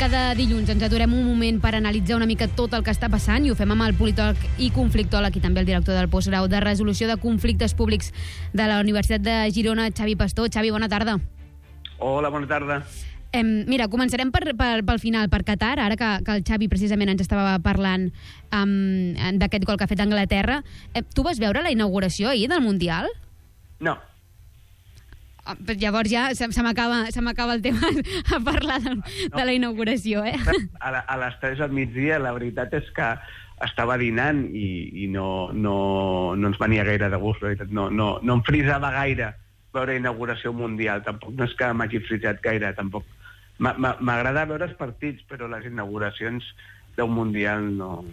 cada dilluns ens aturem un moment per analitzar una mica tot el que està passant i ho fem amb el politòleg i conflictòleg i també el director del postgrau de resolució de conflictes públics de la Universitat de Girona, Xavi Pastor. Xavi, bona tarda. Hola, bona tarda. Mira, començarem pel final, per Qatar, ara que el Xavi precisament ens estava parlant d'aquest gol que ha fet Anglaterra. Tu vas veure la inauguració ahir del Mundial? No. Llavors ja se m'acaba el tema a parlar de la inauguració, eh? A les 3 al migdia la veritat és que estava dinant i no ens venia gaire de gust, no em frisava gaire veure inauguració mundial, tampoc no és que m'hagi frisat gaire, tampoc. M'agrada veure els partits, però les inauguracions d'un mundial no...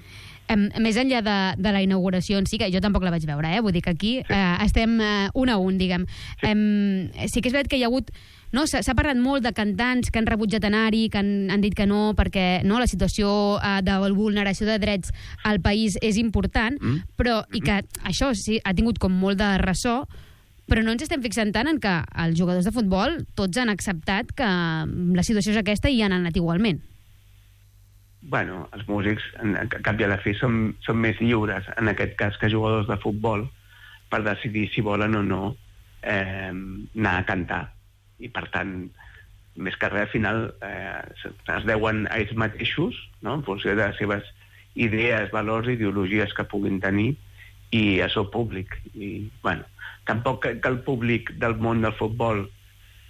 Més enllà de la inauguració en si, que jo tampoc la vaig veure, vull dir que aquí estem 1 a 1, diguem. Sí que és veritat que hi ha hagut... S'ha parlat molt de cantants que han rebutjat anar-hi, que han dit que no, perquè la situació de vulneració de drets al país és important, però i que això sí ha tingut com molt de ressò, però no ens estem fixant tant en que els jugadors de futbol tots han acceptat que la situació és aquesta i han anat igualment. Bueno, els músics, a cap i a la fi, són més lliures, en aquest cas, que jugadors de futbol, per decidir si volen o no anar a cantar. I, per tant, més que res, al final, es deuen a ells mateixos, no?, en funció de les seves idees, valors, ideologies que puguin tenir, i a seu públic. I, bueno, tampoc que el públic del món del futbol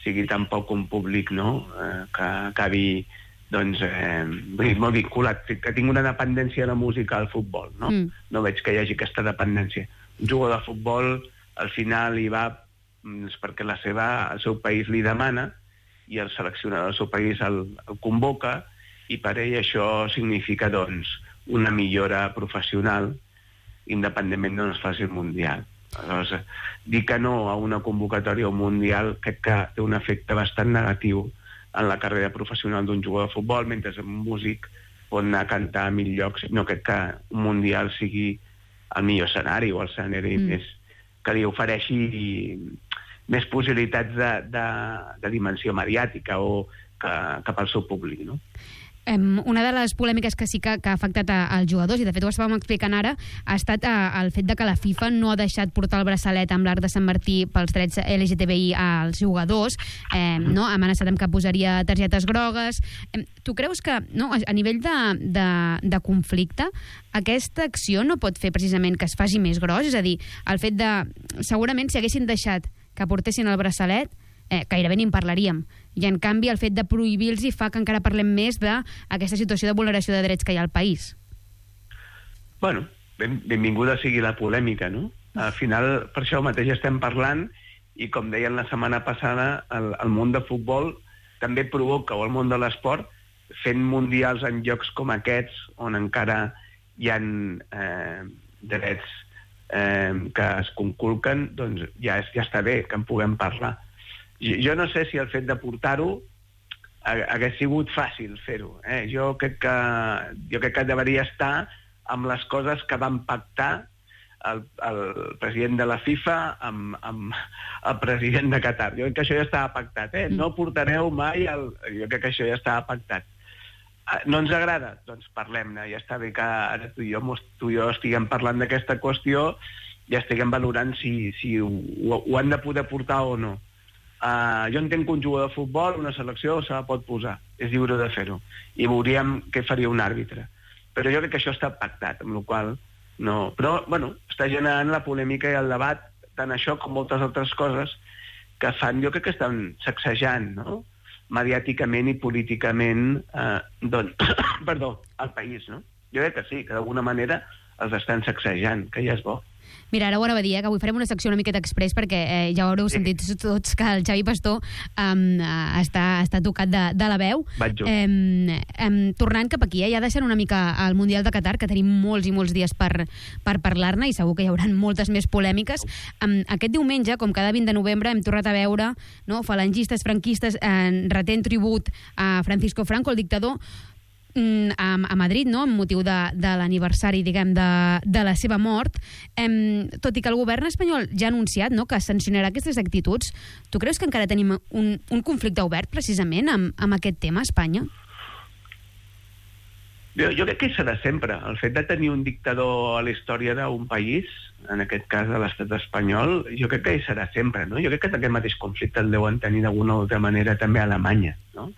sigui tampoc un públic, no?, que acabi... doncs, molt vinculat, que tinc una dependència de la música al futbol, no? No veig que hi hagi aquesta dependència. Un jugador de futbol, al final, hi va perquè el seu país li demana i el seleccionador del seu país el convoca i per ell això significa, doncs, una millora professional independentment d'on es faci el Mundial. Aleshores, dir que no a una convocatòria o un Mundial crec que té un efecte bastant negatiu en la carrera professional d'un jugador de futbol, mentre un músic pot anar a cantar a 1.000 llocs. No crec que un Mundial sigui el millor escenari o el escenari més que li ofereixi més possibilitats de dimensió mediàtica o cap al seu públic, no? Una de les polèmiques que sí que ha afectat als jugadors, i de fet ho estàvem explicant ara, ha estat el fet de que la FIFA no ha deixat portar el braçalet amb l'arc de Sant Martí pels drets LGTBI als jugadors, ha amenaçat amb que posaria targetes grogues. Tu creus que a nivell de conflicte aquesta acció no pot fer precisament que es faci més gros? És a dir, el fet de... Segurament si haguessin deixat que portessin el braçalet gairebé ni en parlaríem. I, en canvi, el fet de prohibir-los fa que encara parlem més d'aquesta situació de vulneració de drets que hi ha al país. Bueno, benvinguda sigui la polèmica, no? Al final, per això mateix estem parlant, i com deien la setmana passada, el món de futbol també provoca, o el món de l'esport, fent mundials en llocs com aquests, on encara hi ha drets que es conculquen, doncs ja està bé que en puguem parlar. Jo no sé si el fet de portar-ho hagués sigut fàcil fer-ho. Jo crec que deveria estar amb les coses que van pactar el president de la FIFA amb el president de Qatar. Jo crec que això ja estava pactat. No portareu mai jo crec que això ja estava pactat. No ens agrada? Doncs parlem-ne. Ja està bé que ara tu i jo estiguem parlant d'aquesta qüestió, ja estiguem valorant si ho han de poder portar o no. Jo entenc que un jugador de futbol, una selecció, se la pot posar, és lliure de fer-ho, i veuríem què faria un àrbitre. Però jo crec que això està pactat, amb la qual no... Però, bueno, està generant la polèmica i el debat, tant això com moltes altres coses que fan, jo crec que estan sacsejant, no?, mediàticament i políticament, el país, no? Jo crec que sí, que d'alguna manera els estan sacsejant, que ja és bo. Mira, ara ho anava a dir, que avui farem una secció una miqueta express perquè ja ho haureu sentit tots que el Xavi Pastor està tocat de la veu. Tornant cap aquí, ja deixant una mica el Mundial de Qatar, que tenim molts i molts dies per parlar-ne i segur que hi haurà moltes més polèmiques. Aquest diumenge, com cada 20 de novembre, hem tornat a veure falangistes, franquistes retent tribut a Francisco Franco, el dictador, a Madrid, amb motiu de l'aniversari, diguem, de la seva mort, tot i que el govern espanyol ja ha anunciat que sancionarà aquestes actituds. Tu creus que encara tenim un conflicte obert precisament amb aquest tema a Espanya? Jo crec que serà sempre. El fet de tenir un dictador a la història d'un país, en aquest cas de l'estat espanyol, jo crec que hi serà sempre, no? Jo crec que aquest mateix conflicte el deuen tenir d'alguna o altra manera també a Alemanya, no?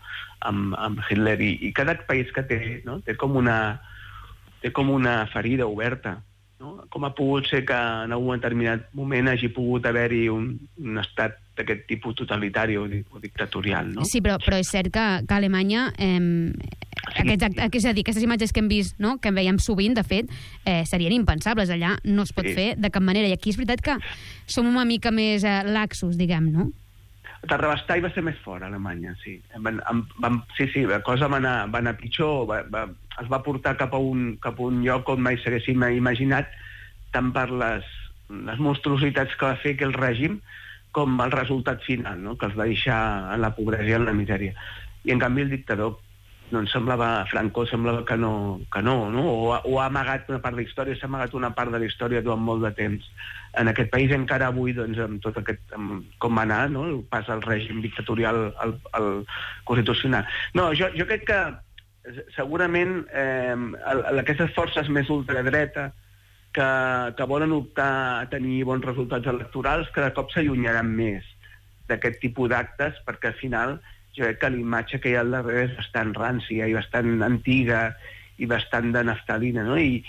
Amb Hitler. I cada país que té, no? Té com una ferida oberta, no? Com ha pogut ser que en algun determinat moment hagi pogut haver-hi un estat d'aquest tipus totalitari o dictatorial, no? Sí, però és cert que a Alemanya és a dir, aquestes imatges que hem vist, no? Que en veiem sovint, de fet, serien impensables. Allà no es pot fer de cap manera. I aquí és veritat que som una mica més laxos, diguem, no? Terrabastall va ser més fort, a Alemanya, sí. Sí, la cosa va anar pitjor, es va portar cap a un lloc on mai s'haguéssim imaginat, tant per les monstruositats que va fer aquell règim, com el resultat final, no? Que els va deixar en la pobresa i en la misèria. I en canvi el dictador, doncs Franco semblava que no? O ha amagat una part de la història, s'ha amagat una part de la història durant molt de temps. En aquest país encara avui, doncs, amb tot aquest, com va anar, no? El pas al règim dictatorial al constitucional. No, jo crec que segurament aquestes forces més ultradreta que volen optar a tenir bons resultats electorals cada cop s'allunyaran més d'aquest tipus d'actes, perquè al final jo crec que l'imatge que hi ha al darrere és bastant rància i bastant antiga i bastant de naftalina, no? I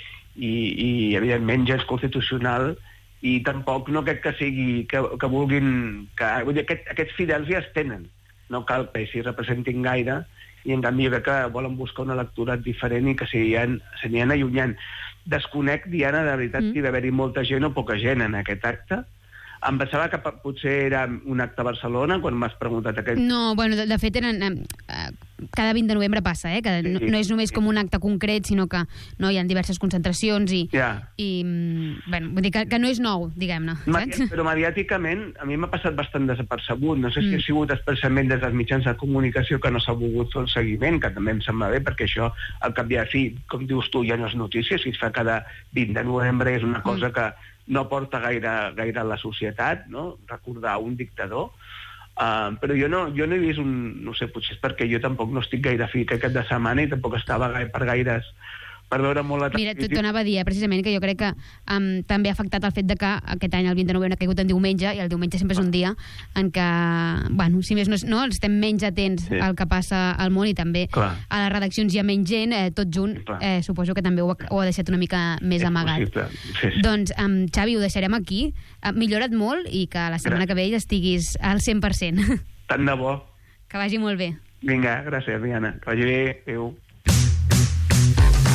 evidentment gens constitucional, i tampoc no crec que sigui que vulguin... Vull dir, aquests fidels ja es tenen, no cal que s'hi representin gaire, i en canvi jo crec que volen buscar un electorat diferent i que s'anien allunyant. Desconec, Diana, de veritat, si va haver-hi molta gent o poca gent en aquest acte. Em pensava que potser era un acte a Barcelona, quan m'has preguntat aquest... No, bueno, de fet, cada 20 de novembre passa, que no és només com un acte concret, sinó que hi ha diverses concentracions i bueno, vull dir que no és nou, diguem-ne. Però mediàticament a mi m'ha passat bastant desapercebut. No sé si ha sigut expressament des dels mitjans de comunicació que no s'ha volgut fer el seguiment, que també em sembla bé, perquè això, al cap i a fi, com dius tu, ja no és notícia, si es fa cada 20 de novembre és una cosa que no porta gaire a la societat, no? Recordar un dictador. Però jo no he vist no sé, potser és perquè jo tampoc no estic gaire fi aquest de setmana i tampoc estava per veure molt la televisió. Mira, t'ho anava a dir, precisament, que jo crec que també ha afectat el fet de que aquest any el 20 de novembre ha caigut en diumenge, i el diumenge sempre és un dia en què, bueno, si més no, estem menys atents al que passa al món, i també a les redaccions hi ha menys gent, tot junt, suposo que també ho ha deixat una mica més amagat. Doncs, Xavi, ho deixarem aquí. Millora't molt i que la setmana que ve estiguis al 100%. Tant de bo. Que vagi molt bé. Vinga, gràcies, Diana. Que vagi bé. Adéu.